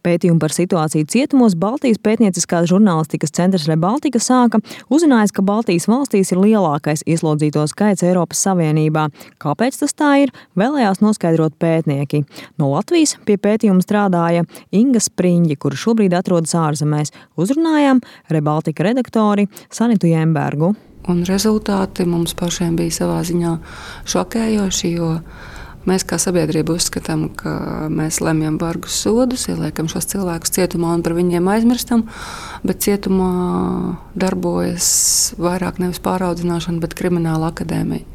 Pētījumu par situāciju cietumos Baltijas pētnieciskās žurnālistikas centrs Rebaltika sāka, uzzinājis, ka Baltijas valstīs ir lielākais ieslodzīto skaits Eiropas Savienībā. Kāpēc tas tā ir, vēlējās noskaidrot pētnieki. No Latvijas pie pētījuma strādāja Inga Spriņģi, kura šobrīd atrodas ārzemēs. Uzrunājām Rebaltika redaktori Sanitu Jembergu. Un rezultāti mums pašiem bija savā ziņā šokējoši, jo mēs kā sabiedrība uzskatām, ka mēs lemjam bargus sodus, ieliekam šos cilvēkus cietumā un par viņiem aizmirstam, bet cietumā darbojas vairāk nevis pāraudzināšana, bet krimināla akadēmija.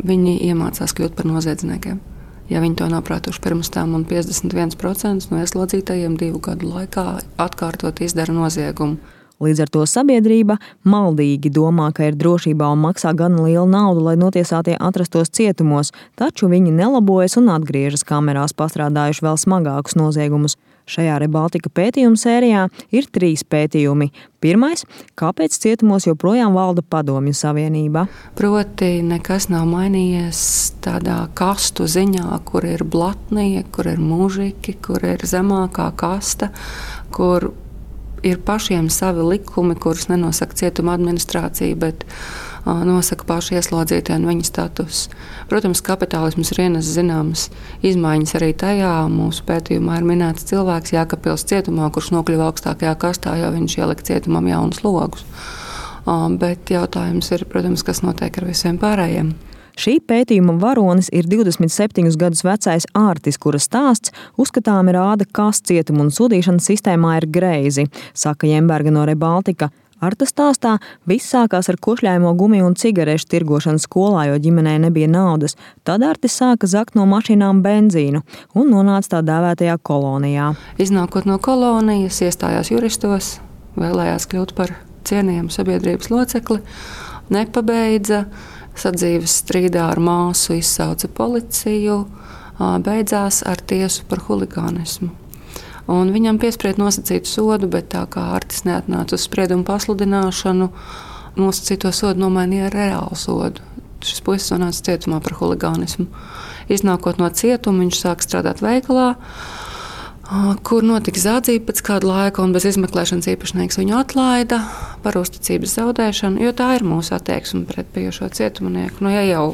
Viņi iemācās kļūt par noziedzniekiem. Ja viņi to nav prātuši pirms tam, un 51% no ieslodzītajiem 2 gadu laikā atkārtot izdara noziegumu. Līdz ar to sabiedrība maldīgi domā, ka ir drošībā un maksā gan lielu naudu, lai notiesātie atrastos cietumos, taču viņi nelabojas un atgriežas kamerās pastrādājuši vēl smagākus noziegumus. Šajā Rebaltika pētījuma sērijā ir 3 pētījumi. Pirmais – kāpēc cietumos joprojām valda padomju savienība? Proti nekas nav mainījies tādā kastu ziņā, kur ir blatnie, kur ir mužiki, kur ir zemākā kasta, kur ir pašiem savi likumi, kurus nenosaka cietuma administrācija, bet nosaka paši ieslodzītie un viņa status. Protams, kapitālisms ir ienes zināmas izmaiņas arī tajā. Mūsu pētījumā ir minēts cilvēks Jēkabpils cietumā, kurš nokļuva augstākajā kastā, jo viņš ielika cietumam jaunus logus. Bet jautājums ir, protams, kas notiek ar visiem pārējiem. Šī pētījuma varonis ir 27 gadus vecais Ārtis, kura stāsts uzskatāmi rāda, kas cietuma un sodīšanas sistēmā ir greizi, saka Jemberga no Rebaltika. Arta stāstā viss sākās ar košļājamo gumiju un cigarešu tirgošanu skolā, jo ģimenei nebija naudas. Tad Artis sāka zakt no mašīnām benzīnu un nonāca tā dēvētajā kolonijā. Iznākot no kolonijas, iestājās juristos, vēlējās kļūt par cienījamu sabiedrības locekli, nepabeidza. Sadzīves strīdā ar māsu izsauca policiju, beidzās ar tiesu par huligānismu. Un viņam piesprieda nosacītu sodu, bet tā kā Artis neatnāca uz spriedumu pasludināšanu, nosacīto sodu nomainīja ar reālu sodu. Šis puisis nonāca cietumā par huligānismu. Iznākot no cietuma, viņš sāka strādāt veikalā, kur notika zādzība pēc kāda laika, un bez izmeklēšanas īpašnieks viņu atlaida par uzticības zaudēšanu, jo tā ir mūsu attieksme pret bijušo cietumnieku. Ja jau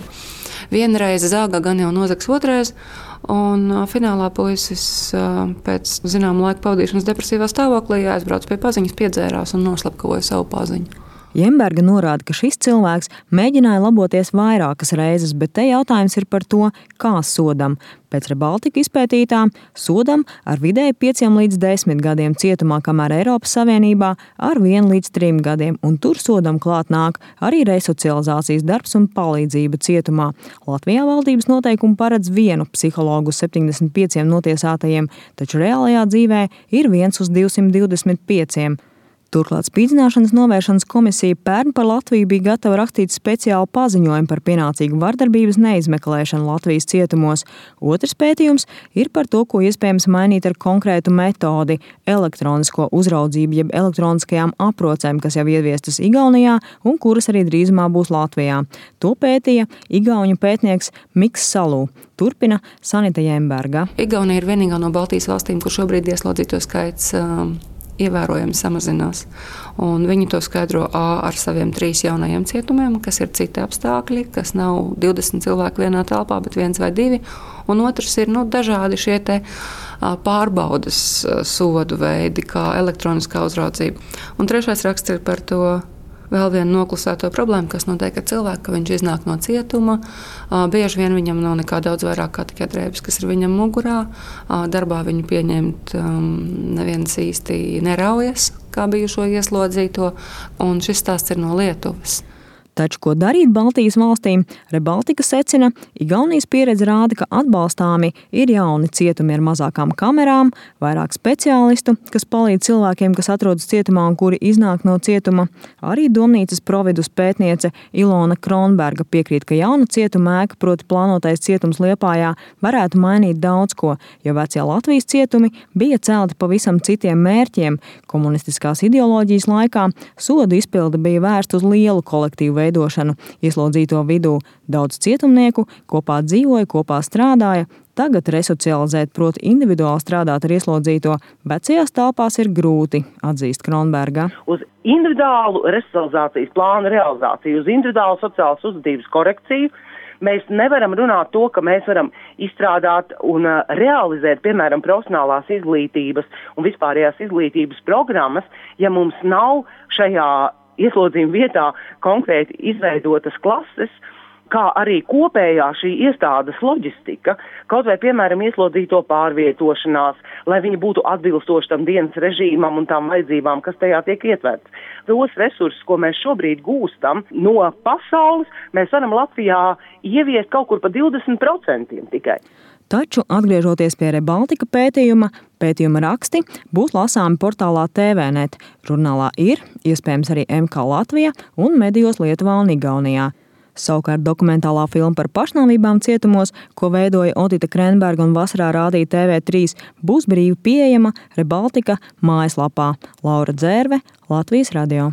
vienreiz zāga, gan jau nozags otrais, un finālā puisis pēc zināma laika pavadīšanas depresīvā stāvoklī aizbrauc pie paziņas, piedzērās un noslapkavoja savu paziņu. Jemberga norāda, ka šis cilvēks mēģināja laboties vairākas reizes, bet te jautājums ir par to, kā sodam. Pēc Rebaltika izpētītām sodam ar vidēji 5 līdz 10 gadiem cietumā, kamēr Eiropas Savienībā ar 1 līdz 3 gadiem, un tur sodam klāt nāk arī resocializācijas darbs un palīdzība cietumā. Latvijā valdības noteikumi paredz 1 psihologu uz 75 notiesātajiem, taču reālajā dzīvē ir 1 uz 225. Turklāt spīdzināšanas novēršanas komisija pērn par Latviju bija gatava rakstīt speciālu paziņojumu par pienācīgu vardarbības neizmeklēšanu Latvijas cietumos. Otrs pētījums ir par to, ko iespējams mainīt ar konkrētu metodi – elektronisko uzraudzību, jeb elektroniskajām aprocēm, kas jau ieviestas Igaunijā un kuras arī drīzumā būs Latvijā. To pētīja igauņu pētnieks Miks Salū. Turpina Sanita Jemberga. Igaunija ir vienīgā no Baltijas valstīm, kur šobrīd ieslodzīto skaits ievērojami samazinās. Un viņi to skaidro ar saviem 3 jaunajiem cietumiem, kas ir citi apstākļi, kas nav 20 cilvēku vienā telpā, bet 1 vai 2. Un otrs ir dažādi šie te pārbaudas sodu veidi, kā elektroniskā uzraudzība. Un trešais raksts ir par to vēl vienu noklusēto problēmu, kas notiek ar cilvēku, ka viņš iznāk no cietuma. Bieži vien viņam nav nekā daudz vairāk kā tikai drēbes, kas ir viņam mugurā. Darbā viņu pieņemt neviens īsti neraujas, kā bijušo ieslodzīto. Un šis stāsts ir no Lietuvas. Taču, ko darīt Baltijas valstīm, Rebaltika secina, Igaunijas pieredze rāda, ka atbalstāmi ir jauni cietumi ar mazākām kamerām, vairāk speciālistu, kas palīdz cilvēkiem, kas atrodas cietumā un kuri iznāk no cietuma. Arī domnīcas providus pētniece Ilona Kronberga piekrīt, ka jauna cietuma ēka, proti plānotais cietums Liepājā, varētu mainīt daudz ko, jo vecie Latvijas cietumi bija celti pavisam citiem mērķiem. Komunistiskās ideoloģijas laikā sodu izpilde bija vērsta uz lielu kolektīvu veidošanu ieslodzīto vidū. Daudz cietumnieku kopā dzīvoja, kopā strādāja. Tagad resocializēt, proti individuāli strādāt ar ieslodzīto, vecajās telpās ir grūti, atzīst Kronberga. Uz individuālu resocializācijas plānu realizāciju, uz individuālu sociālas uzvedības korekciju mēs nevaram runāt to, ka mēs varam izstrādāt un realizēt, piemēram, profesionālās izglītības un vispārējās izglītības programmas, ja mums nav šajā ieslodzījuma vietā konkrēti izveidotas klases, kā arī kopējā šī iestādes loģistika, kaut vai, piemēram, ieslodzīto pārvietošanās, lai viņi būtu atbilstoši tam dienas režīmam un tām vajadzībām, kas tajā tiek ietverts. Tos resursus, ko mēs šobrīd gūstam no pasaules, mēs varam Latvijā ieviest kaut kur pa 20% tikai. Taču, atgriežoties pie Rebaltika pētījuma raksti būs lasāmi portālā TVNet. Žurnālā ir, iespējams arī MK Latvija un medijos Lietuvā un Igaunijā. Savukārt dokumentālā filma par pašnāvībām cietumos, ko veidoja Otita Krenberga un vasarā rādīja TV3, būs brīvi pieejama Rebaltika mājaslapā. Laura Dzērve, Latvijas radio.